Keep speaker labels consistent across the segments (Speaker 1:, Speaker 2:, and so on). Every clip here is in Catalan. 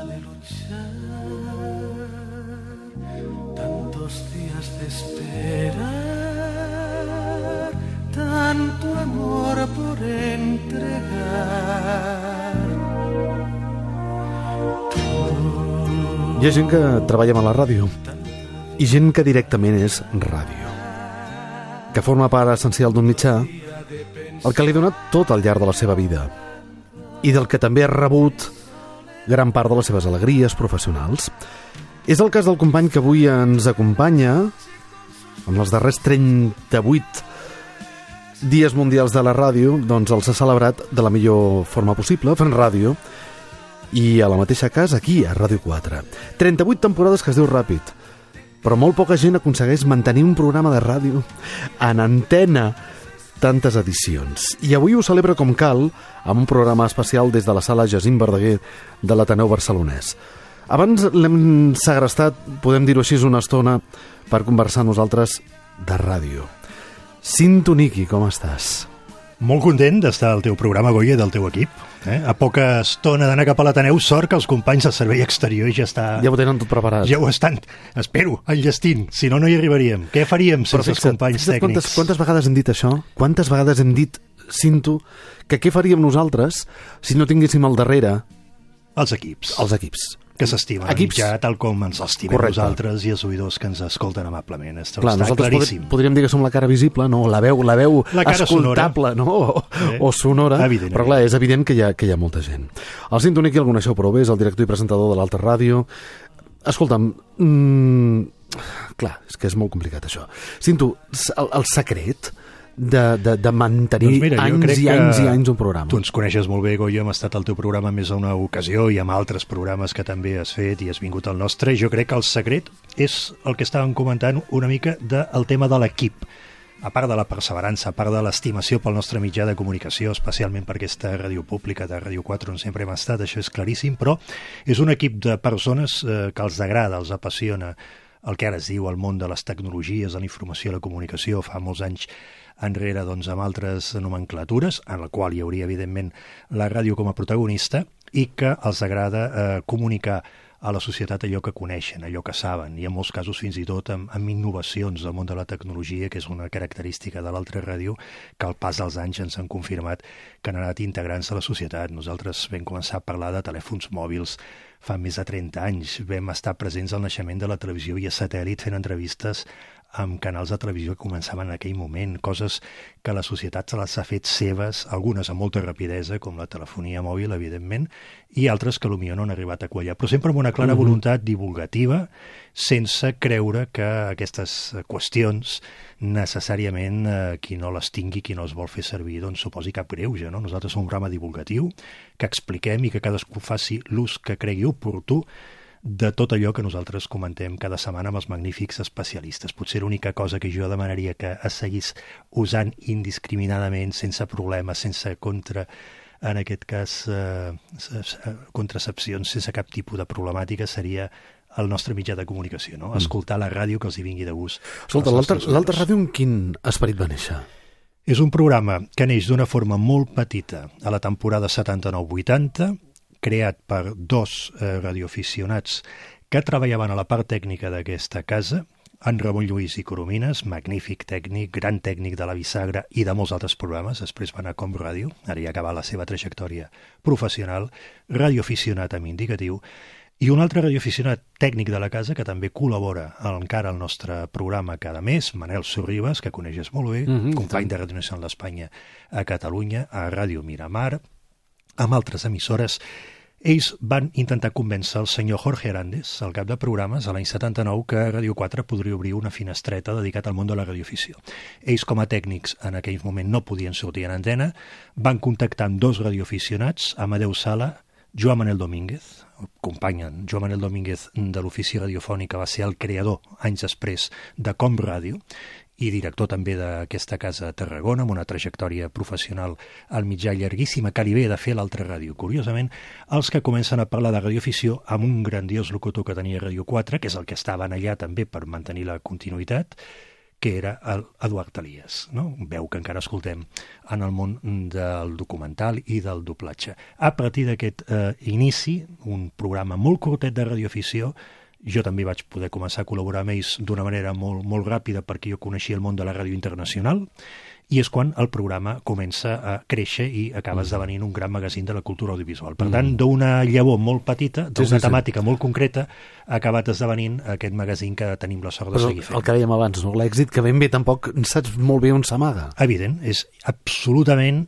Speaker 1: de luchar, tantos días de esperar, tanto amor por entregar.
Speaker 2: Hi ha gent que treballa a la ràdio i gent que directament és ràdio, que forma part essencial d'un mitjà el que li ha donat tot al llarg de la seva vida i del que també ha rebut gran part de les seves alegries professionals. És el cas del company que avui ens acompanya en els darrers 38 dies mundials de la ràdio, doncs els ha celebrat de la millor forma possible, fent ràdio, i a la mateixa casa, aquí, a Ràdio 4. 38 temporades que es diu ràpid, però molt poca gent aconsegueix mantenir un programa de ràdio en antena tantes edicions. I avui ho celebra com cal amb un programa especial des de la sala Jacint Verdaguer de l'Ateneu Barcelonès. Abans l'hem segrestat, podem dir-ho així, una estona per conversar nosaltres de ràdio. Cinto Niqui, com estàs?
Speaker 3: Molt content d'estar al teu programa, Goya, del teu equip. A poca estona d'anar cap a l'Ateneu, sort que els companys del servei exterior ja ho
Speaker 2: tenen tot preparat.
Speaker 3: Ja ho estan, espero, enllestint. Si no, no hi arribaríem. Què faríem sense els companys tècnics?
Speaker 2: Quantes vegades hem dit això? Quantes vegades hem dit, Cinto, que què faríem nosaltres si no tinguéssim al darrere
Speaker 3: els equips.
Speaker 2: Els equips.
Speaker 3: Que s'estimen ja tal com ens estimem nosaltres i els oïdors que ens escolten amablement. Està claríssim.
Speaker 2: Podríem dir que som la cara visible, no? La veu escoltable, no? O sonora.
Speaker 3: Evident,
Speaker 2: però clar, és evident que hi ha molta gent. El Cinto Niqui el coneixeu prou bé, és el director i presentador de l'Alta Ràdio. Escolta'm, clar, és que és molt complicat això. Cinto, el secret de mantenir anys i anys un programa.
Speaker 3: Tu ens coneixes molt bé, Goya, hem estat al teu programa més a una ocasió i amb altres programes que també has fet i has vingut al nostre. Jo crec que el secret és el que estàvem comentant una mica del tema de l'equip. A part de la perseverança, a part de l'estimació pel nostre mitjà de comunicació, especialment per aquesta ràdio pública de Ràdio 4 on sempre hem estat, això és claríssim, però és un equip de persones que els agrada, els apassiona el que ara es diu el món de les tecnologies, de la informació i la comunicació. Fa molts anys enrere doncs, amb altres nomenclatures, en la qual hi hauria evidentment la ràdio com a protagonista, i que els agrada comunicar a la societat allò que coneixen, allò que saben, i en molts casos fins i tot amb innovacions del món de la tecnologia, que és una característica de l'altra ràdio que al pas dels anys ens han confirmat que han anat integrant-se a la societat. Nosaltres vam començar a parlar de telèfons mòbils fa més de 30 anys, vam estar presents al naixement de la televisió via satèl·lit fent entrevistes amb canals de televisió que començaven en aquell moment, coses que la societat se les ha fet seves, algunes amb molta rapidesa, com la telefonia mòbil, evidentment, i altres que potser no han arribat a quallar, però sempre amb una clara voluntat divulgativa, sense creure que aquestes qüestions necessàriament qui no les tingui, qui no les vol fer servir, doncs suposi cap greuge, no? Nosaltres som un programa divulgatiu, que expliquem i que cadascú faci l'ús que cregui oportú de tot allò que nosaltres comentem cada setmana amb els magnífics especialistes. Potser l'única cosa que jo demanaria que es seguís usant indiscriminadament, sense problemes, sense en aquest cas, contracepcions, sense cap tipus de problemàtica, seria el nostre mitjà de comunicació, no? Escoltar la ràdio que els hi vingui de gust.
Speaker 2: Escolta, l'Alta Ràdio en quin esperit va néixer?
Speaker 3: És un programa que neix d'una forma molt petita a la temporada 79-80, creat per dos radioaficionats que treballaven a la part tècnica d'aquesta casa, en Ramon Lluís i Coromines, magnífic tècnic, gran tècnic de la Bisagra i de molts altres programes, després va anar a Com Ràdio, ara ja ha acabat la seva trajectòria professional, radioaficionat amb indicatiu, i un altre radioaficionat tècnic de la casa que també col·labora encara al nostre programa cada mes, Manel Sorribas, que coneixes molt bé, company de Ràdio Nacional d'Espanya a Catalunya, a Ràdio Miramar, amb altres emissores. Ells van intentar convèncer el senyor Jorge Arandes, el cap de programes, a l'any 79, que Ràdio 4 podria obrir una finestreta dedicat al món de la radioafició. Ells, com a tècnics, en aquell moment no podien sortir en antena, van contactar amb dos radioaficionats, Amadeu Sala, Joan Manel Domínguez, company Joan Manel Domínguez de l'ofici radiofònic, que va ser el creador, anys després, de Com Ràdio, i director també d'aquesta casa a Tarragona, amb una trajectòria professional al mitjà llarguíssima, que li ve de fer l'altra ràdio. Curiosament, els que comencen a parlar de radioafició amb un grandiós locutor que tenia Ràdio 4, que és el que estaven allà també per mantenir la continuïtat, que era Eduard Elias, no? Veu que encara escoltem en el món del documental i del doblatge. A partir d'aquest inici, un programa molt curtet de radioafició, jo també vaig poder començar a col·laborar amb ells d'una manera molt, molt ràpida perquè jo coneixia el món de la ràdio internacional, i és quan el programa comença a créixer i acaba esdevenint un gran magazín de la cultura audiovisual. Per tant, d'una llavor molt petita, d'una temàtica molt concreta, ha acabat esdevenint aquest magazín que tenim la sort de seguir fent.
Speaker 2: El que dèiem abans, no? L'èxit que ben bé tampoc saps molt bé on s'amaga.
Speaker 3: Evident, és absolutament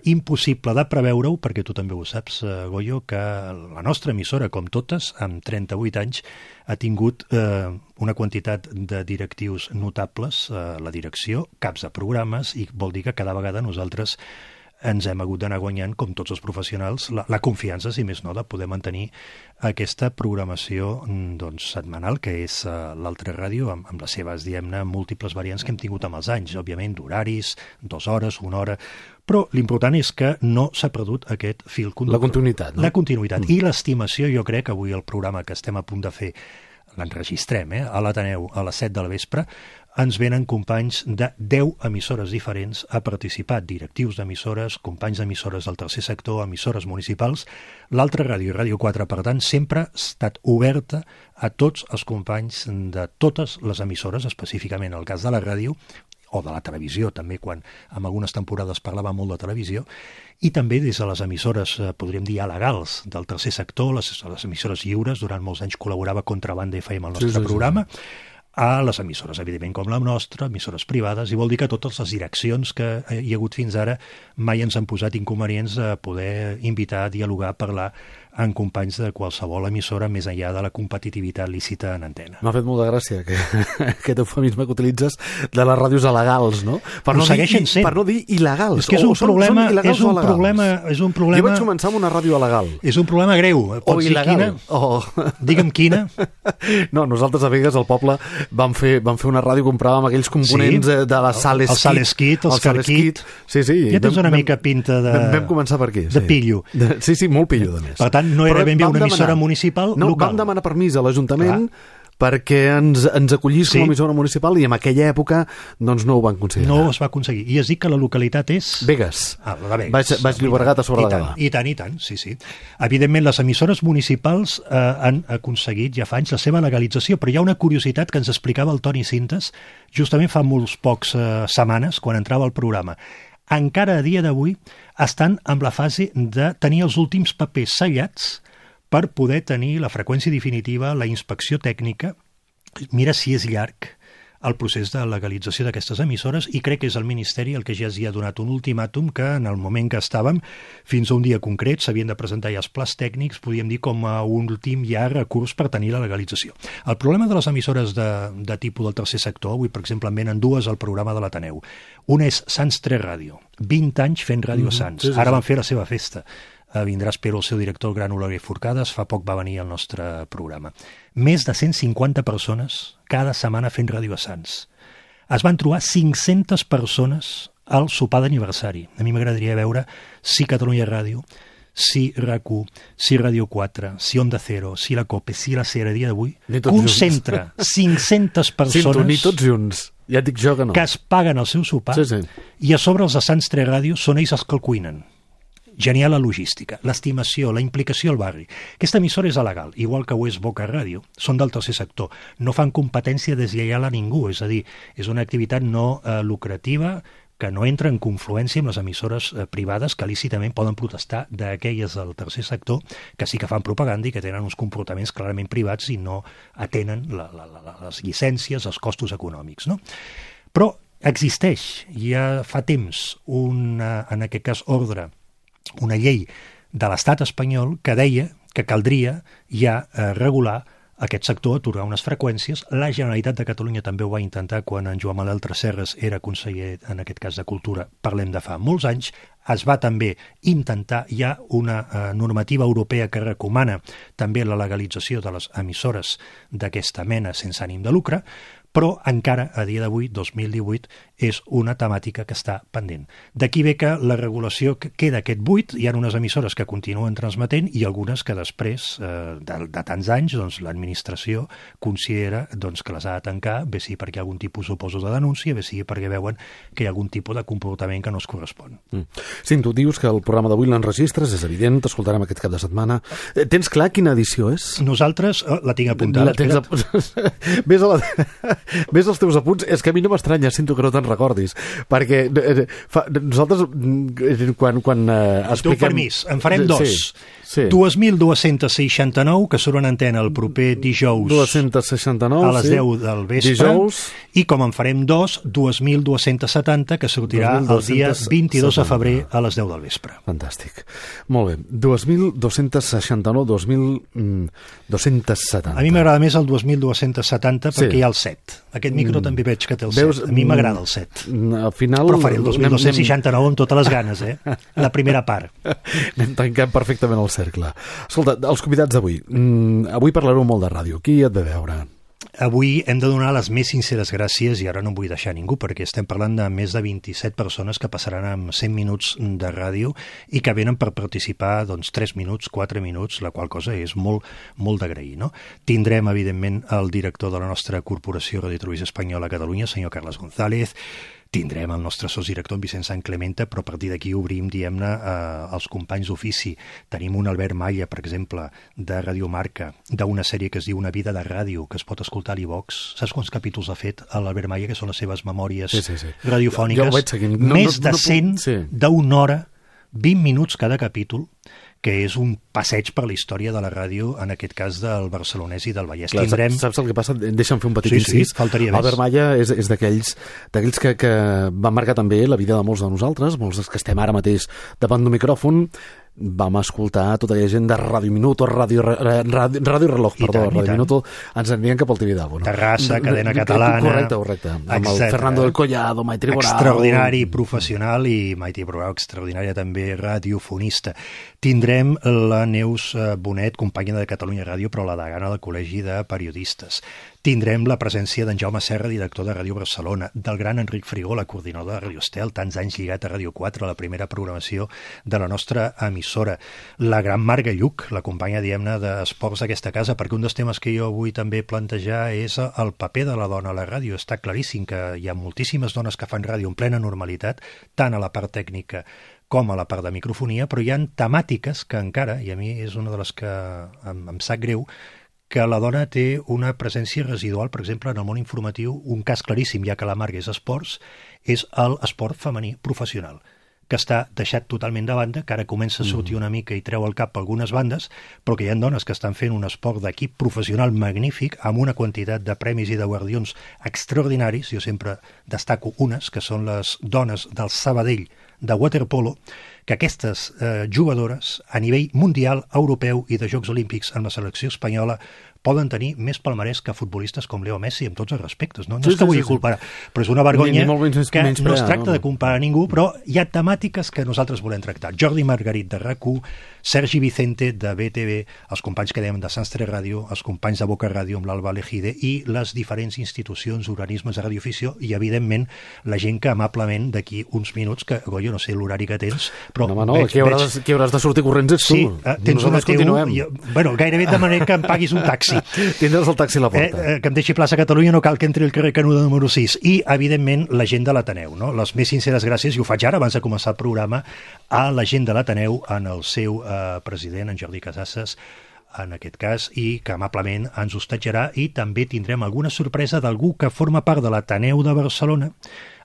Speaker 3: impossible de preveure-ho, perquè tu també ho saps, Goyo, que la nostra emissora, com totes, amb 38 anys, ha tingut una quantitat de directius notables, la direcció, caps de programes, i vol dir que cada vegada nosaltres ens hem hagut d'anar guanyant, com tots els professionals, la confiança, si més no, de poder mantenir aquesta programació setmanal, que és l'Altra Ràdio, amb les seves, diguem-ne, múltiples variants que hem tingut amb els anys, òbviament, d'horaris, 2 hores, 1 hora, però l'important és que no s'ha perdut aquest fil conductor.
Speaker 2: La continuïtat, no?
Speaker 3: La continuïtat. I l'estimació, jo crec, avui el programa que estem a punt de fer, l'enregistrem, a l'Ateneu, a les 7 de la vespre, ens venen companys de 10 emissores diferents a participar, directius d'emissores, companys d'emissores del tercer sector, emissores municipals. L'Altra Ràdio i Ràdio 4, per tant, sempre ha estat oberta a tots els companys de totes les emissores, específicament el cas de la ràdio, o de la televisió, també, quan en algunes temporades parlava molt de televisió, i també des de les emissores, podríem dir, legals del tercer sector, les emissores lliures, durant molts anys col·laborava Contrabanda FM al nostre programa, a les emissores, evidentment, com la nostra, emissores privades, i vol dir que totes les direccions que hi ha hagut fins ara mai ens han posat inconvenients a poder invitar a dialogar, a parlar amb companys de qualsevol emissora més enllà de la competitivitat lícita en antena.
Speaker 2: M'ha fet molta gràcia aquest eufemisme que utilitzes de les ràdios alegals, no? Per no dir il·legals.
Speaker 3: És que és un problema...
Speaker 2: Jo vaig començar amb una ràdio alegal.
Speaker 3: És un problema greu.
Speaker 2: O il·legal.
Speaker 3: Digue'm quina.
Speaker 2: No, nosaltres a Begues, al poble, vam fer una ràdio, compràvem aquells components de la Saleskit.
Speaker 3: El Saleskit, el Carquit.
Speaker 2: Sí.
Speaker 3: Ja tens una mica pinta de...
Speaker 2: Vam començar per aquí.
Speaker 3: De pillo.
Speaker 2: Sí, molt pillo, de més.
Speaker 3: Per tant, no era ben bé una emissora municipal local.
Speaker 2: No, vam demanar permís a l'Ajuntament perquè ens acollís com a emissora municipal, i en aquella època doncs no ho van considerar.
Speaker 3: No es va aconseguir. I es diu que la localitat és...
Speaker 2: Begues.
Speaker 3: La de Begues.
Speaker 2: Baix Llobregat, a sobre de Gavà.
Speaker 3: I tant, sí. Evidentment, les emissores municipals han aconseguit ja fa anys la seva legalització, però hi ha una curiositat que ens explicava el Toni Cintes justament fa molts pocs setmanes, quan entrava al programa. Encara a dia d'avui estan en la fase de tenir els últims papers sellats per poder tenir la freqüència definitiva, la inspecció tècnica. Mira si és llarg el procés de legalització d'aquestes emissores, i crec que és el Ministeri el que ja els hi ha donat un ultimàtum que en el moment que estàvem, fins a un dia concret, s'havien de presentar ja els plans tècnics, podríem dir com a un últim ja recurs per tenir la legalització. El problema de les emissores de tipus del tercer sector, avui per exemple en venen 2 al programa de l'Ateneu. Una és Sants 3 Ràdio, 20 anys fent ràdio a Sants, ara van fer la seva festa. Vindrà, espero, el seu director, el gran Oleguer Forcades, fa poc va venir al nostre programa. Més de 150 persones cada setmana fent ràdio a Sants. Es van trobar 500 persones al sopar d'aniversari. A mi m'agradaria veure si Catalunya Ràdio, si RAC1, si Ràdio 4, si Onda Cero, si la COPE, si la SER a dia d'avui, concentra 500 persones...
Speaker 2: Ni tots junts. Ja et dic jo que no.
Speaker 3: Que es paguen el seu sopar, i a sobre els de Sants 3 Ràdio són ells els que el cuinen. Genial la logística, l'estimació, la implicació al barri. Aquesta emissora és legal, igual que ho és Boca Ràdio. Són del tercer sector. No fan competència deslleial a ningú, és a dir, és una activitat no lucrativa que no entra en confluència amb les emissores privades que lícitament poden protestar d'aquelles del tercer sector que sí que fan propaganda i que tenen uns comportaments clarament privats i no atenen les llicències, els costos econòmics, no? Però existeix, ja fa temps, en aquest cas ordre, una llei de l'estat espanyol que deia que caldria ja regular aquest sector, atorgar unes freqüències. La Generalitat de Catalunya també ho va intentar quan en Joan Manuel Tresserras era conseller, en aquest cas de Cultura, parlem de fa molts anys. Es va també intentar, hi ha una normativa europea que recomana també la legalització de les emissores d'aquesta mena sense ànim de lucre, però encara a dia d'avui, 2018, és una temàtica que està pendent. D'aquí ve que la regulació queda aquest buit, hi ha unes emissores que continuen transmetent i algunes que després de tants anys doncs, l'administració considera doncs, que les ha de tancar, bé sigui perquè hi ha algun tipus, suposo, de denúncia, bé sigui perquè veuen que hi ha algun tipus de comportament que no es correspon.
Speaker 2: Sí, tu dius que el programa d'avui l'enregistres, és evident, t'escoltarem aquest cap de setmana. Tens clar quina edició és?
Speaker 3: Nosaltres, la tinc apuntada,
Speaker 2: Ves als teus apunts, és que a mi no m'estranya, sento que no te'n recordis, perquè nosaltres quan expliquem...
Speaker 3: Tu permís, en farem dos.
Speaker 2: Sí.
Speaker 3: 2.269, que surt en antena el proper dijous
Speaker 2: 269,
Speaker 3: a les 10 del vespre,
Speaker 2: dijous.
Speaker 3: I com en farem dos, 2.270, que sortirà el dia 22 de febrer a les 10 del vespre.
Speaker 2: Fantàstic. Molt bé. 2.269, 2.270.
Speaker 3: A mi m'agrada més el 2.270 perquè hi ha el 7. Aquest micro també veig que té el 7. A mi m'agrada el 7.
Speaker 2: Al final...
Speaker 3: Però faré el 2.269 amb totes les ganes, La primera part.
Speaker 2: Anem tancant perfectament el cercle. Escolta, els convidats d'avui. Avui parlareu molt de ràdio. Qui et ve veure?
Speaker 3: Avui hem de donar les més sinceres gràcies, i ara no em vull deixar ningú, perquè estem parlant de més de 27 persones que passaran amb 100 minuts de ràdio i que venen per participar 3 minuts, 4 minuts, la qual cosa és molt, molt d'agrair. No? Tindrem, evidentment, el director de la nostra corporació Radio Televisió Espanyola a Catalunya, senyor Carles González. Tindrem el nostre sotsdirector, en Vicent Sant Clemente, però a partir d'aquí obrim, diguem-ne, els companys d'ofici. Tenim un Albert Malla, per exemple, de Radio Marca, d'una sèrie que es diu Una vida de ràdio, que es pot escoltar a l'Ivox. Saps quants capítols ha fet l'Albert Malla, que són les seves memòries radiofòniques?
Speaker 2: Jo ho veig seguint.
Speaker 3: Més de 100 d'una hora, 20 minuts cada capítol, que és un passeig per la història de la ràdio, en aquest cas del barcelonès i del Vallès.
Speaker 2: Clar, saps el que passa? Deixa'm fer un petit incís.
Speaker 3: Faltaria més.
Speaker 2: Albert Malla és d'aquells que van marcar també la vida de molts de nosaltres, molts dels que estem ara mateix davant d'un micròfon. Vam escoltar tota aquella gent de Ràdio Minuto, Ràdio Reloj, perdó, Ràdio Minuto, ens envien cap al Tibidabo.
Speaker 3: Terrassa, cadena catalana.
Speaker 2: Correcte. Amb el Fernando del Collado, Maite Borau.
Speaker 3: Extraordinari professional i Maite Borau, extraordinària també radiofonista. Tindrem la Neus Bonet, companya de Catalunya Ràdio, però la degana del Col·legi de Periodistes. Tindrem la presència d'en Jaume Serra, director de Ràdio Barcelona, del gran Enric Frigó, la coordinadora de Ràdio Estel, tants anys lligat a Ràdio 4, a la primera programació de la nostra emissora. La gran Marga Lluc, la companya, diguem-ne, d'esports d'aquesta casa, perquè un dels temes que jo vull també plantejar és el paper de la dona a la ràdio. Està claríssim que hi ha moltíssimes dones que fan ràdio en plena normalitat, tant a la part tècnica com a la part de microfonia, però hi ha temàtiques que encara, i a mi és una de les que em sap greu, que la dona té una presència residual, per exemple, en el món informatiu, un cas claríssim, ja que la Marga és esports, és l'esport femení professional, que està deixat totalment de banda, que ara comença a sortir una mica i treu el cap a algunes bandes, però que hi ha dones que estan fent un esport d'equip professional magnífic, amb una quantitat de premis i de guardions extraordinaris. Jo sempre destaco unes, que són les dones del Sabadell de waterpolo, que aquestes jugadores a nivell mundial, europeu i de Jocs Olímpics en la selecció espanyola poden tenir més palmarès que futbolistes com Leo Messi, amb tots els respectes. No és que vulgui comparar, però és una vergonya que no es tracta de comparar ningú, però hi ha temàtiques que nosaltres volem tractar. Jordi Margarit de RAC1, Sergi Vicente de BTV, els companys que dèiem de Sants 3 Ràdio, els companys de Boca Ràdio amb l'Alba Lejide i les diferents institucions, organismes de radioafició i, evidentment, la gent que amablement d'aquí uns minuts, que jo no sé l'horari que tens, però...
Speaker 2: No, qui hauràs de sortir corrents ets tu.
Speaker 3: Sí, tens una TU, bueno, gairebé demanem que em paguis un taxi.
Speaker 2: Tindràs el taxi a la porta.
Speaker 3: Que em deixi plaça a Catalunya, no cal que entri el carrer Canuda número 6. I, evidentment, la gent de l'Ateneu. No? Les més sinceres gràcies, i ho faig ara, abans de començar el programa, a la gent de l'Ateneu, en el seu president, en Jordi Casasses, en aquest cas, i que amablement ens hostatjarà, i també tindrem alguna sorpresa d'algú que forma part de l'Ateneu de Barcelona,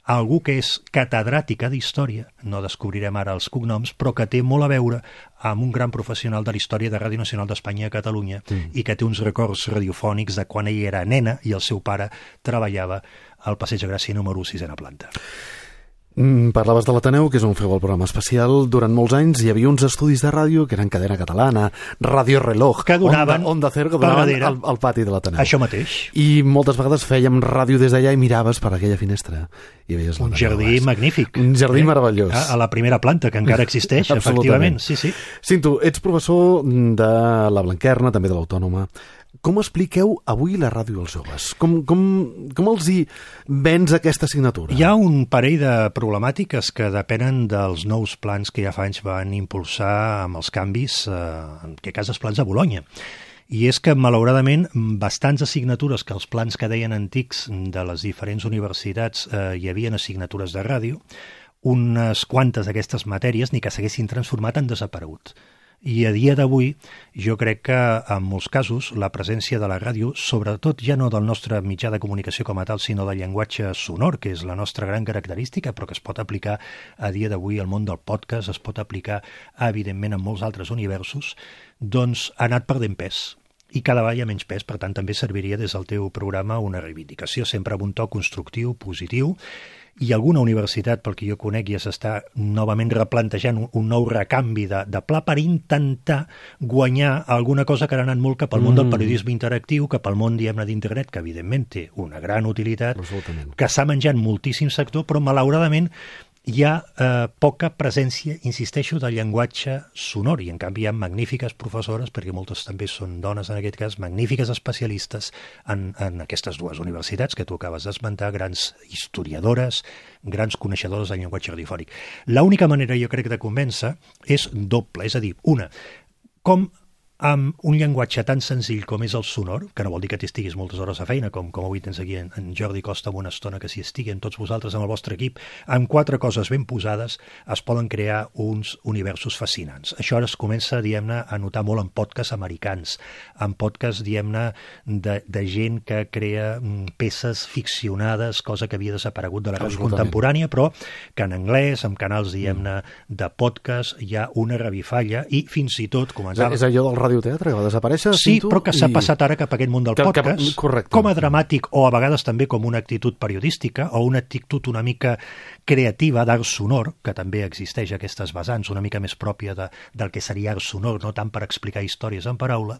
Speaker 3: algú que és catedràtica d'història, no descobrirem ara els cognoms, però que té molt a veure amb un gran professional de la història de Ràdio Nacional d'Espanya a Catalunya i que té uns records radiofònics de quan ella era nena i el seu pare treballava al Passeig de Gràcia número 6a planta.
Speaker 2: Parlaves de l'Ateneu, que és on feu el programa especial. Durant molts anys hi havia uns estudis de ràdio que eren cadena catalana, Ràdio Reloj,
Speaker 3: que donaven
Speaker 2: Onda Cero, que donaven al pati de l'Ateneu.
Speaker 3: Això mateix.
Speaker 2: I moltes vegades fèiem ràdio des d'allà i miraves per aquella finestra i veies
Speaker 3: un jardí magnífic.
Speaker 2: Un jardí meravellós.
Speaker 3: A la primera planta, que encara existeix, efectivament. Sí.
Speaker 2: Cinto, ets professor de la Blanquerna, també de l'Autònoma. Com expliqueu avui la ràdio als joves? Com els hi vens aquesta assignatura?
Speaker 3: Hi ha un parell de problemàtiques que depenen dels nous plans que ja fa anys van impulsar amb els canvis, en aquest cas els plans de Bolonya. I és que, malauradament, bastants assignatures que els plans que deien antics de les diferents universitats hi havia assignatures de ràdio, unes quantes d'aquestes matèries, ni que s'haguessin transformat, han desaparegut. I a dia d'avui jo crec que en molts casos la presència de la ràdio, sobretot ja no del nostre mitjà de comunicació com a tal, sinó del llenguatge sonor, que és la nostra gran característica, però que es pot aplicar a dia d'avui al món del podcast, es pot aplicar evidentment en molts altres universos, doncs ha anat perdent pes. I cada vegada hi ha menys pes, per tant també serviria des del teu programa una reivindicació, sempre amb un to constructiu, positiu, i alguna universitat, pel que jo conec, ja s'està novament replantejant un nou recanvi de pla per intentar guanyar alguna cosa que ha anat molt cap al món del periodisme interactiu, cap al món, diguem-ne, d'internet, que evidentment té una gran utilitat, que s'ha menjat moltíssim sector, però malauradament hi ha poca presència, insisteixo, del llenguatge sonor, i en canvi hi ha magnífiques professores, perquè moltes també són dones en aquest cas, magnífiques especialistes en aquestes dues universitats que tu acabes d'esmentar, grans historiadores, grans coneixedores del llenguatge radiofònic. L'única manera, jo crec, de convèncer és doble, és a dir, una, com amb un llenguatge tan senzill com és el sonor, que no vol dir que t'estiguis moltes hores a feina, com avui tens aquí en Jordi Costa amb una estona que s'hi estigui, en tots vosaltres, amb el vostre equip, amb 4 coses ben posades es poden crear uns universos fascinants. Això ara es comença, diguem-ne, a notar molt en podcasts americans, en podcasts, diguem-ne, de gent que crea peces ficcionades, cosa que havia desaparegut de la ràdio contemporània, però que en anglès, amb canals, diguem-ne, de podcast, hi ha una revifalla i fins i tot començava...
Speaker 2: És allò del radioteatre que va desaparèixer?
Speaker 3: Sí, però que s'ha passat ara cap a aquest món del podcast, com a dramàtic o a vegades també com una actitud periodística o una actitud una mica creativa d'art sonor, que també existeix aquestes vessants, una mica més pròpia del que seria art sonor, no tant per explicar històries en paraula,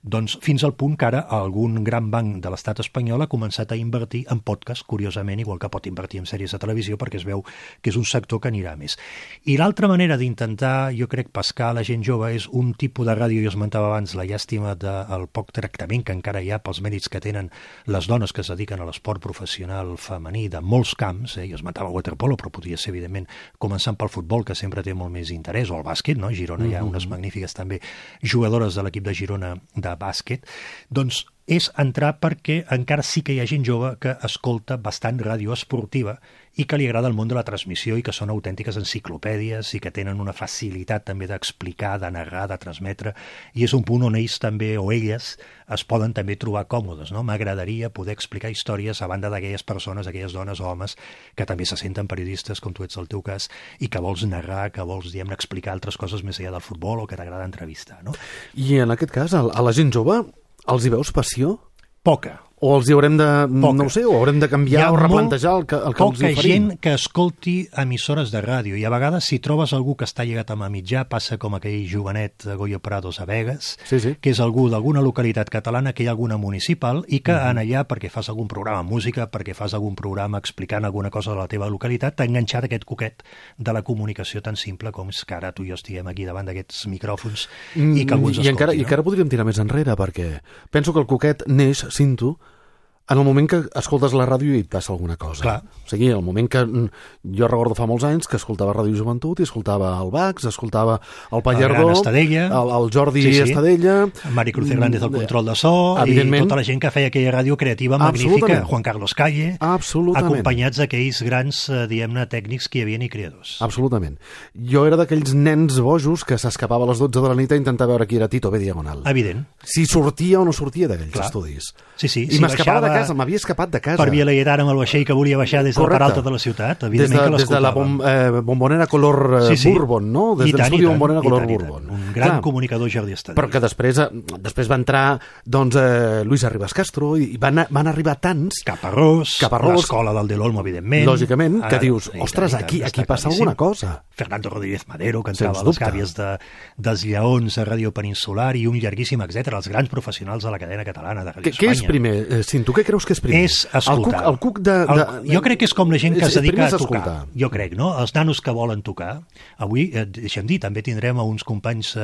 Speaker 3: doncs fins al punt que ara algun gran banc de l'estat espanyol ha començat a invertir en podcast, curiosament, igual que pot invertir en sèries de televisió, perquè es veu que és un sector que anirà més. I l'altra manera d'intentar, jo crec, pescar a la gent jove és un tipus de ràdio, jo esmentava abans la llàstima del poc tractament que encara hi ha pels mèrits que tenen les dones que es dediquen a l'esport professional femení de molts camps, jo esmentava el waterpolo, però podria ser, evidentment, començant pel futbol, que sempre té molt més interès, o el bàsquet, no? A Girona hi ha unes magnífiques també jugadores de l'equip de Girona de bàsquet, doncs és entrar perquè encara sí que hi ha gent jove que escolta bastant ràdio esportiva i que li agrada el món de la transmissió i que són autèntiques enciclopèdies i que tenen una facilitat també d'explicar, de narrar, de transmetre, i és un punt on ells també, o elles, es poden també trobar còmodes, no? M'agradaria poder explicar històries a banda d'aquelles persones, aquelles dones o homes que també se senten periodistes, com tu ets el teu cas, i que vols narrar, que vols, diguem-ne, explicar altres coses més enllà del futbol o que t'agrada entrevistar, no?
Speaker 2: I en aquest cas, a la gent jove, els hi veus passió?
Speaker 3: Poca.
Speaker 2: O els hi haurem de, no ho sé, o haurem de canviar o replantejar el que els oferim?
Speaker 3: Poca gent que escolti emissores de ràdio, i a vegades si trobes algú que està lligat amb a mitjà, passa com aquell jovenet Goyo Prados a Begues, que és algú d'alguna localitat catalana, que hi ha alguna municipal, i que en allà, perquè fas algun programa amb música, perquè fas algun programa explicant alguna cosa de la teva localitat, t'ha enganxat aquest coquet de la comunicació tan simple com és que ara tu i jo estiguem aquí davant d'aquests micròfons i que algú ens escolti.
Speaker 2: I encara podríem tirar més enrere, perquè penso que el coquet neix, cinto, en el moment que escoltes la ràdio i et passa alguna cosa.
Speaker 3: Clar.
Speaker 2: O sigui, el moment que jo recordo fa molts anys que escoltava Ràdio Joventut i escoltava el Bax, escoltava el Pallardó, el Jordi Estadella,
Speaker 3: Mari Cruz Hernández al control de so, i tota la gent que feia aquella ràdio creativa magnífica, Juan Carlos Calle, acompanyats d'aquells grans, diguem-ne, tècnics que hi havia i creadors.
Speaker 2: Absolutament. Jo era d'aquells nens bojos que s'escapava a les 12 de la nit a intentar veure qui era Tito B. Diagonal.
Speaker 3: Evident.
Speaker 2: Si sortia o no sortia d'aquells estudis.
Speaker 3: Sí, sí.
Speaker 2: I m'escapava de casa, m'havia escapat de casa.
Speaker 3: Per Via Laietana amb el vaixell que volia baixar des del Peralta de la ciutat, evidentment que l'escoltava.
Speaker 2: Des de la bombonera color Bourbon, no? Des de l'estudi bombonera color Bourbon.
Speaker 3: Un gran comunicador, Jordi Estadella.
Speaker 2: Però que després va entrar Luis Arribas Castro i van arribar tants...
Speaker 3: Caparrós, l'escola del Del Olmo, evidentment.
Speaker 2: Lògicament, que dius, ostres, aquí passa alguna cosa.
Speaker 3: Fernando Rodríguez Madero, que entrava a les gàbies dels Lleons a Ràdio Peninsular i un llarguíssim, etc. Els grans professionals de la cadena catalana de Ràdio Espanya.
Speaker 2: Què és primer, Cinto? Què creus que és primer?
Speaker 3: És escoltar.
Speaker 2: El cuc de...
Speaker 3: Jo crec que és com la gent que es dedica a tocar. Jo crec, no? Els nanos que volen tocar. Avui, deixa'm dir, també tindrem uns companys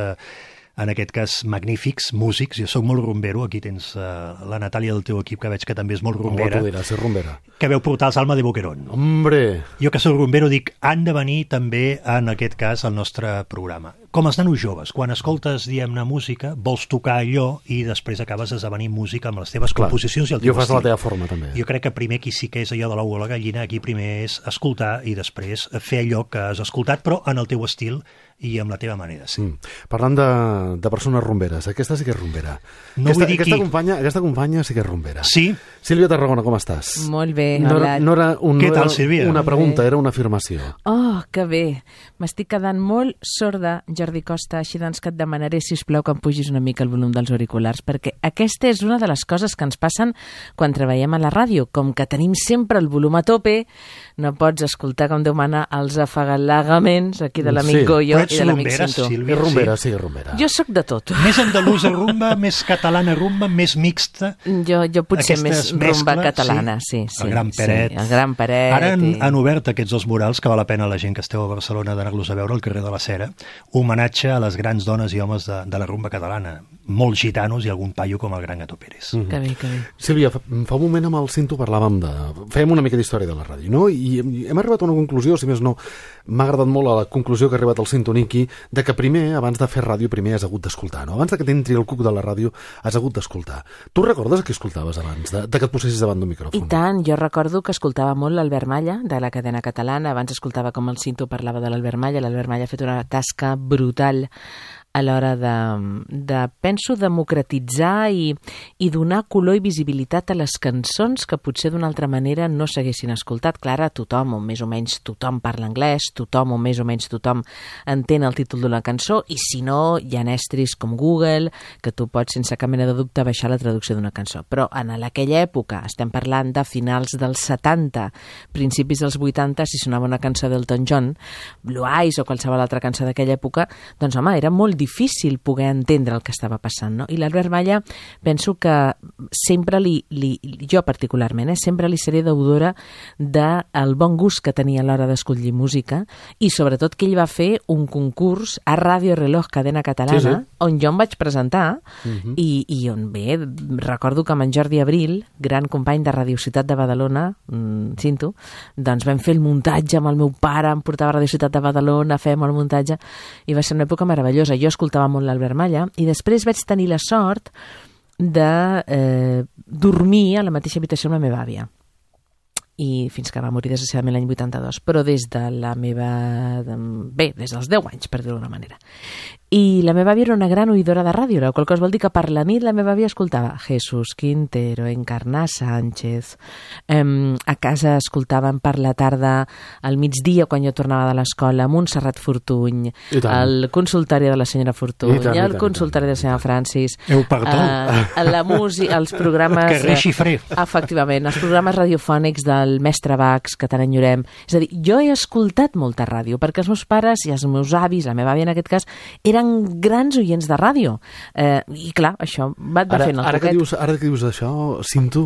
Speaker 3: en aquest cas magnífics músics. Jo sóc molt rumbero, aquí tens la Natàlia del teu equip, que veig que també és molt rumbera.
Speaker 2: Tu diràs, és rumbera.
Speaker 3: Que veu portar els Alma de Boquerón.
Speaker 2: Hombre!
Speaker 3: Jo que soc rumbero dic, han de venir també en aquest cas al nostre programa. Com els nanos joves, quan escoltes, diguem-ne, música, vols tocar allò i després acabes esdevenint música amb les teves composicions i el teu
Speaker 2: I ho fas de la
Speaker 3: estil.
Speaker 2: teva forma, també.
Speaker 3: Jo crec que primer aquí sí que és allò de l'ou a la gallina, aquí primer és escoltar i després fer allò que has escoltat, però en el teu estil i amb la teva manera de ser.
Speaker 2: Parlant de persones rumberes, aquesta sí que és rumbera.
Speaker 3: No vull dir qui.
Speaker 2: Aquesta companya sí que és rumbera.
Speaker 3: Sí?
Speaker 2: Sílvia Tarragona, com estàs?
Speaker 4: Molt bé,
Speaker 2: No
Speaker 4: hola.
Speaker 2: era
Speaker 3: Què tal, Sílvia?
Speaker 2: una pregunta, era una afirmació.
Speaker 4: Oh, que bé. M'estic quedant molt sorda, Jordi Costa, així doncs que et demanaré, sisplau, que em pugis una mica el volum dels auriculars, perquè aquesta és una de les coses que ens passen quan treballem a la ràdio. Com que tenim sempre el volum a tope, no pots escoltar, com Déu mana, els afagalagaments aquí de l'amic
Speaker 2: Sí.
Speaker 4: Goyo
Speaker 3: Però ets
Speaker 4: i de l'amic
Speaker 3: rumbera,
Speaker 4: Cinto.
Speaker 3: Sílvia?
Speaker 2: És rumbera, sí, és rumbera.
Speaker 4: Jo sóc de tot.
Speaker 3: Més andalusa rumba, més catalana rumba, més mixta.
Speaker 4: Jo potser
Speaker 3: Aquestes
Speaker 4: més rumba
Speaker 3: mescles,
Speaker 4: catalana, sí.
Speaker 3: El Gran Peret.
Speaker 4: Sí, el Gran Peret.
Speaker 3: Ara han obert aquests dos murals que val la pena la gent que esteu a Barcelona d'anar-los a veure al carrer de la Cera. Homenatge a les grans dones i homes de la rumba catalana. Molts gitanos i algun paio com el Gran Gato Pérez.
Speaker 4: Que bé, que bé.
Speaker 2: Sílvia, fa un moment amb el Cinto parlàvem fèiem una mica d'història de la ràdio, no? I hem arribat a una conclusió, si més no, m'ha agradat molt a la conclusió que ha arribat el Cinto Niqui, de que primer, abans de fer ràdio, primer has hagut d'escoltar, no? Abans de que t'entri el cuc de la ràdio, has hagut d'escoltar. Tu recordes què escoltaves abans, de que et posessis davant d'un micròfon?
Speaker 4: I tant, jo recordo que escoltava molt l'Albert Malla, de la cadena catalana. Abans escoltava com el Cinto parlava de l'Albert Malla. L'Albert Malla ha fet una tasca brutal a l'hora penso, democratitzar i donar color i visibilitat a les cançons que potser d'una altra manera no s'haguessin escoltat. Clar, ara tothom, o més o menys tothom parla anglès, tothom o més o menys tothom entén el títol d'una cançó, i si no, hi ha estris com Google, que tu pots sense cap mena de dubte baixar la traducció d'una cançó. Però en aquella època, estem parlant de finals dels 70, principis dels 80, si sonava una cançó d'Elton John, Blue Eyes o qualsevol altra cançó d'aquella època, doncs home, era molt difícil poder entendre el que estava passant, no? I l'Albert Malla, penso que sempre jo particularment, sempre li seré deudora del bon gust que tenia a l'hora d'escollir música, i sobretot que ell va fer un concurs a Ràdio Reloj Cadena Catalana,
Speaker 2: sí.
Speaker 4: On jo em vaig presentar, i on bé, recordo que amb en Jordi Abril, gran company de Radio Ciutat de Badalona, Cinto, doncs vam fer el muntatge amb el meu pare, em portava a Radio Ciutat de Badalona, fèiem el muntatge, i va ser una època meravellosa. Jo escoltava molt l'Albert Malla, i després vaig tenir la sort de dormir a la mateixa habitació amb la meva àvia, i fins que va morir desgraciadament l'any 82, però des de la meva... des dels 10 anys, per dir-ho d'una manera. I la meva àvia era una gran oïdora de ràdio, la qual cosa vol dir que per la nit la meva àvia escoltava Jesús Quintero, Encarná Sánchez, a casa escoltaven per la tarda, al migdia, quan jo tornava de l'escola, Montserrat Fortuny, el consultori de la senyora Fortuny, el consultori de la senyora Francis, la música, els programes...
Speaker 3: Carrer Xifré.
Speaker 4: Efectivament, els programes radiofònics del mestre Bax, que tant enyorem. És a dir, jo he escoltat molta ràdio, perquè els meus pares i els meus avis, la meva àvia en aquest cas, eren grans oients de ràdio. I clar, això va fent el poquet.
Speaker 2: Ara que dius això, Cinto,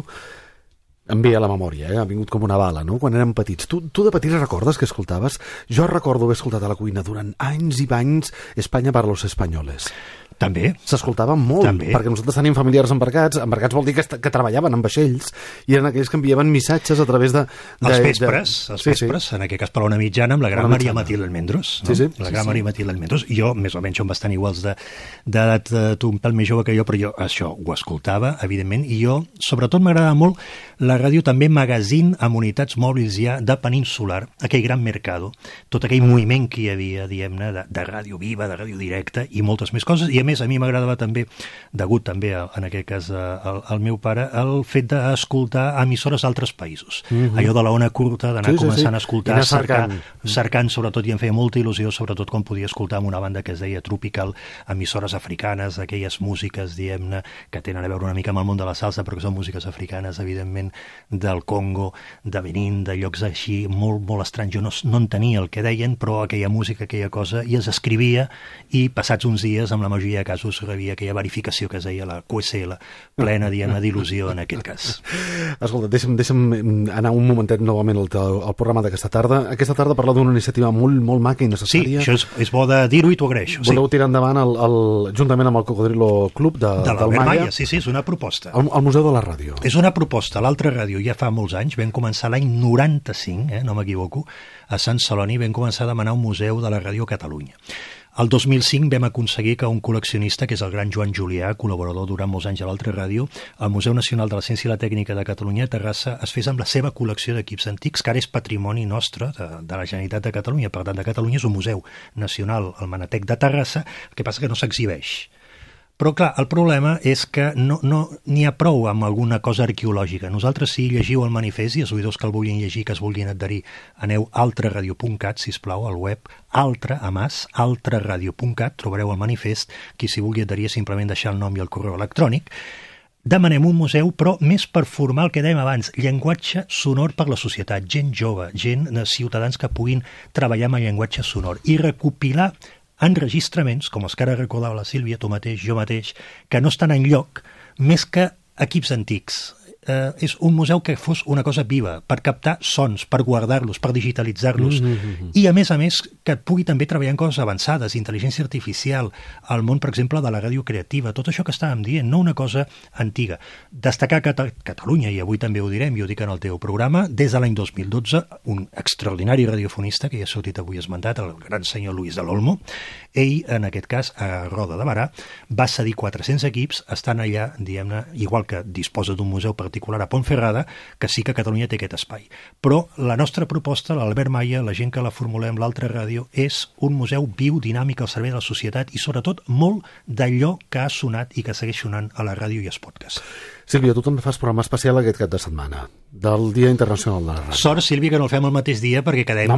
Speaker 2: em ve a la memòria, ha vingut com una bala, no? Quan érem petits. Tu de petit recordes que escoltaves? Jo recordo haver escoltat a la cuina durant anys i anys Espanya para los españoles.
Speaker 3: També.
Speaker 2: S'escoltava molt,
Speaker 3: També.
Speaker 2: perquè nosaltres tenim familiars embarcats vol dir que treballaven en vaixells, i eren aquells que enviaven missatges a través de...
Speaker 3: Els vespres, en aquest cas per una mitjana, amb la gran Maria Matilde Almendros. No? La gran Maria Matilde Almendros. Jo, més o menys, som bastant iguals d'edat, tu un pèl més jove que jo, però jo això ho escoltava, evidentment, i jo, sobretot, m'agradava molt la ràdio també magazine amb unitats mòbils ja de Peninsular, aquell gran mercado, tot aquell moviment que hi havia, diguem-ne, de ràdio viva, de ràdio directa i moltes més coses, i a més a mi m'agradava també, degut també en aquest cas al meu pare, el fet d'escoltar emissores d'altres països. Allò de la ona curta, d'anar començant a escoltar, cercant sobretot, i em feia molta il·lusió, sobretot quan podia escoltar amb una banda que es deia Tropical, emissores africanes, aquelles músiques, diguem-ne, que tenen a veure una mica amb el món de la salsa, però que són músiques africanes, evidentment, del Congo, de Benín, de llocs així molt, molt estranys. Jo no entenia el que deien, però aquella música, aquella cosa, i es escrivia, i passats uns dies, amb la majoria havia casos, rebia aquella verificació que es deia la QSL, plena, diguem-ne, d'il·lusió en aquest cas.
Speaker 2: Escolta, deixa'm anar un momentet novament al programa d'aquesta tarda. Aquesta tarda parla d'una iniciativa molt maca i necessària.
Speaker 3: Sí, això és bo de dir-ho i t'ho agraeixo.
Speaker 2: Voleu tirar endavant juntament amb el Cocodrilo Club del Malla.
Speaker 3: Sí, és una proposta.
Speaker 2: El Museu de la Ràdio.
Speaker 3: És una proposta. L'altra ràdio ja fa molts anys, vam començar l'any 95, no m'equivoco, a Sant Celoni vam començar a demanar un museu de la ràdio a Catalunya. El 2005 vam aconseguir que un col·leccionista, que és el gran Joan Julià, col·laborador durant molts anys a l'altra ràdio, al Museu Nacional de la Ciència i la Tècnica de Catalunya a Terrassa, es fes amb la seva col·lecció d'equips antics, que ara és patrimoni nostre de la Generalitat de Catalunya. Per tant, de Catalunya és un museu nacional, el Manatec de Terrassa, el que passa que no s'exhibeix. Però, clar, el problema és que no n'hi ha prou amb alguna cosa arqueològica. Nosaltres, si llegiu el manifest, i els oïdors que el vulguin llegir, que es vulguin adherir, aneu a altraradio.cat, sisplau, al web, altraradio.cat, trobareu el manifest, qui s'hi vulgui adherir simplement deixar el nom i el correu electrònic. Demanem un museu, però més per formar el que dèiem abans, llenguatge sonor per la societat, gent jove, ciutadans que puguin treballar amb el llenguatge sonor i recopilar enregistraments, com els que ara recordava la Sílvia, tu mateix, jo mateix, que no estan enlloc, més que equips antics. És un museu que fos una cosa viva, per captar sons, per guardar-los, per digitalitzar-los, i a més, que et pugui també treballar en coses avançades, intel·ligència artificial, el món, per exemple, de la ràdio creativa, tot això que estàvem dient, no una cosa antiga. Destacar que Catalunya, i avui també ho direm, i ho dic en el teu programa, des de l'any 2012, un extraordinari radiofonista, que ja ha sortit avui esmentat, el gran senyor Luis de l'Olmo, ell, en aquest cas, a Roda de Barà, va cedir 400 equips, estan allà, diguem-ne, igual que disposa d'un museu particular a Pontferrada, que sí que Catalunya té aquest espai. Però la nostra proposta, l'Albert Malla, la gent que la formulem, l'altra ràdio, és un museu viu, dinàmic, al servei de la societat i, sobretot, molt d'allò que ha sonat i que segueix sonant a la ràdio i als podcasts.
Speaker 2: Sílvia, tu també fas programa especial aquest cap de setmana, del Dia Internacional de la Ràdio.
Speaker 3: Sort, Sílvia, que no el fem el mateix dia perquè quedem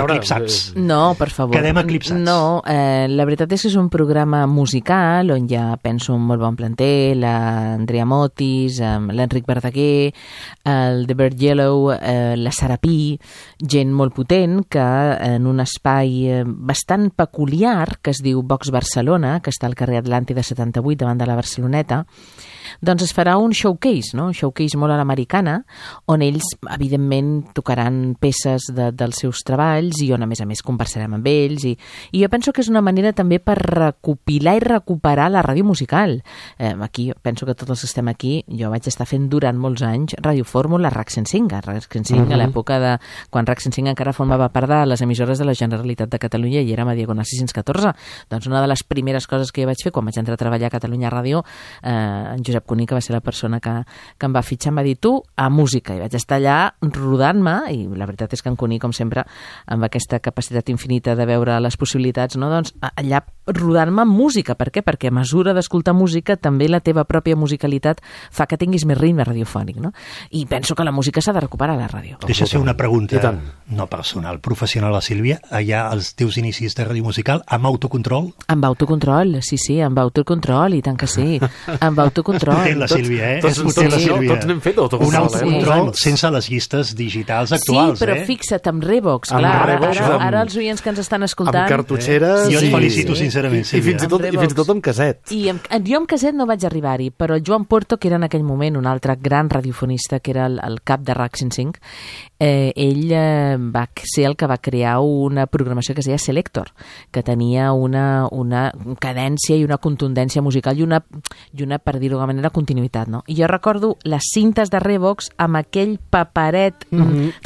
Speaker 3: eclipsats.
Speaker 4: No, per favor.
Speaker 3: Quedem eclipsats.
Speaker 4: No, la veritat és que és un programa musical on hi ha, penso, un molt bon planter, l'Andrea Motis, l'Enric Verdaguer, el The Bird Yellow, la Sara Pi, gent molt potent que en un espai bastant peculiar que es diu Vox Barcelona, que està al carrer Atlàntida 78 davant de la Barceloneta, doncs es farà un showcase, no? Un showcase molt a l'americana, on ells, evidentment, tocaran peces dels seus treballs i on, a més, conversarem amb ells. I jo penso que és una manera també per recopilar i recuperar la ràdio musical. Aquí, penso que tots els que estem aquí, jo vaig estar fent durant molts anys Ràdio Fórmula, RAC 105, a l'època de quan RAC 105 encara formava part de les emissores de la Generalitat de Catalunya i érem a Diagonal 614. Doncs una de les primeres coses que jo vaig fer quan vaig entrar a treballar a Catalunya Ràdio, en Josep Cuní, que va ser la persona que em va fitxar, em va dir, tu, a música, i vaig estar allà rodant-me, i la veritat és que en Cuní, com sempre, amb aquesta capacitat infinita de veure les possibilitats, no? Doncs allà rodant-me amb música. Per què? Perquè a mesura d'escoltar música també la teva pròpia musicalitat fa que tinguis més ritme radiofònic, no? I penso que la música s'ha de recuperar a la ràdio.
Speaker 3: Deixa ser una pregunta no personal, professional, a Sílvia. Allà els teus inicis de ràdio musical amb autocontrol?
Speaker 4: Amb autocontrol, sí, amb autocontrol, i tant que sí, amb autocontrol.
Speaker 3: Potent la Sílvia,
Speaker 2: Tots n'hem fet autocontrol.
Speaker 3: Un autocontrol sense les llistes digitals actuals,
Speaker 4: Sí, però fixa't, amb Revox, clar, ara els oients que ens estan escoltant...
Speaker 2: Amb cartutxeres...
Speaker 3: Jo et felicito sincerament, Sílvia.
Speaker 2: I fins i tot amb caset.
Speaker 4: Jo amb caset no vaig arribar-hi, però Joan Porto, que era en aquell moment un altre gran radiofonista, que era el cap de RAC 105, ell va ser el que va crear una programació que es deia Selector, que tenia una cadència i una contundència musical i una per dir-ho d'alguna manera, continuïtat, no? I jo recordo les cintes de Revox amb aquell paperet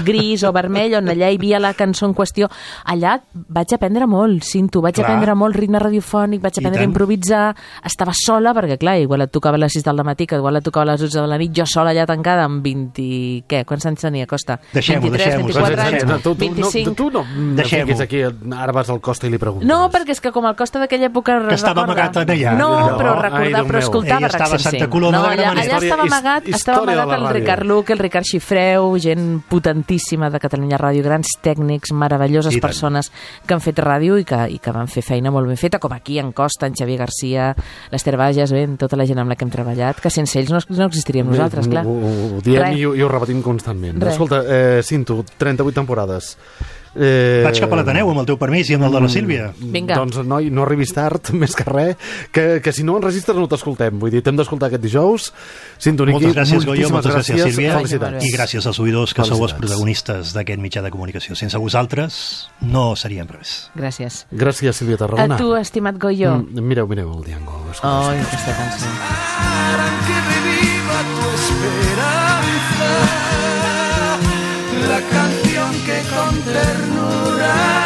Speaker 4: gris o vermell on allà hi havia la cançó en qüestió. Allà vaig aprendre molt, vaig aprendre molt ritme radiofònic, vaig aprendre a improvisar, estava sola, perquè clar, igual et tocava a les 6 del matí, que igual et tocava a les 12 de la nit, jo sola allà tancada amb 20... Què? Quants anys tenia, Costa? 23, 24 anys, 25...
Speaker 2: Tu no fiquis aquí, ara vas al Costa i li preguntes.
Speaker 4: No, perquè és que com el Costa d'aquella època...
Speaker 3: Que estava amagat allà.
Speaker 4: No, però escoltava RAC 105. No, allà estava amagat el Ricard Luc, el Ricard Xifreu, gent potentíssima de Catalunya Ràdio, grans tècnics, meravelloses persones que han fet ràdio i que van fer feina molt ben feta, com aquí en Costa, en Xavier Garcia, l'Ester Bages, tota la gent amb la que hem treballat, que sense ells no existiríem nosaltres, clar.
Speaker 2: Ho diem i ho repetim constantment. Escolta, Cinto, 38 temporades.
Speaker 3: Vaig cap a l'Ateneu, amb el teu permís i amb el de la Sílvia.
Speaker 4: Vinga.
Speaker 2: Doncs, noi, no arribis tard, més que res, que si no enregistres no t'escoltem. Vull dir, t'hem d'escoltar aquest dijous. Sintoniqui,
Speaker 3: Moltes gràcies, Goyo, moltes gràcies, Sílvia.
Speaker 2: Felicitats.
Speaker 3: I gràcies als oïdors, que sou els
Speaker 2: Felicitats.
Speaker 3: protagonistes d'aquest mitjà de comunicació. Sense vosaltres no seríem res.
Speaker 4: Gràcies.
Speaker 2: Gràcies, Sílvia
Speaker 4: A
Speaker 2: Tarragona.
Speaker 4: tu, estimat Goyo.
Speaker 2: Mireu el Diango.
Speaker 4: Oh, aquesta cançó.
Speaker 1: Harán que reviva tu esperanza, la canción que con ternura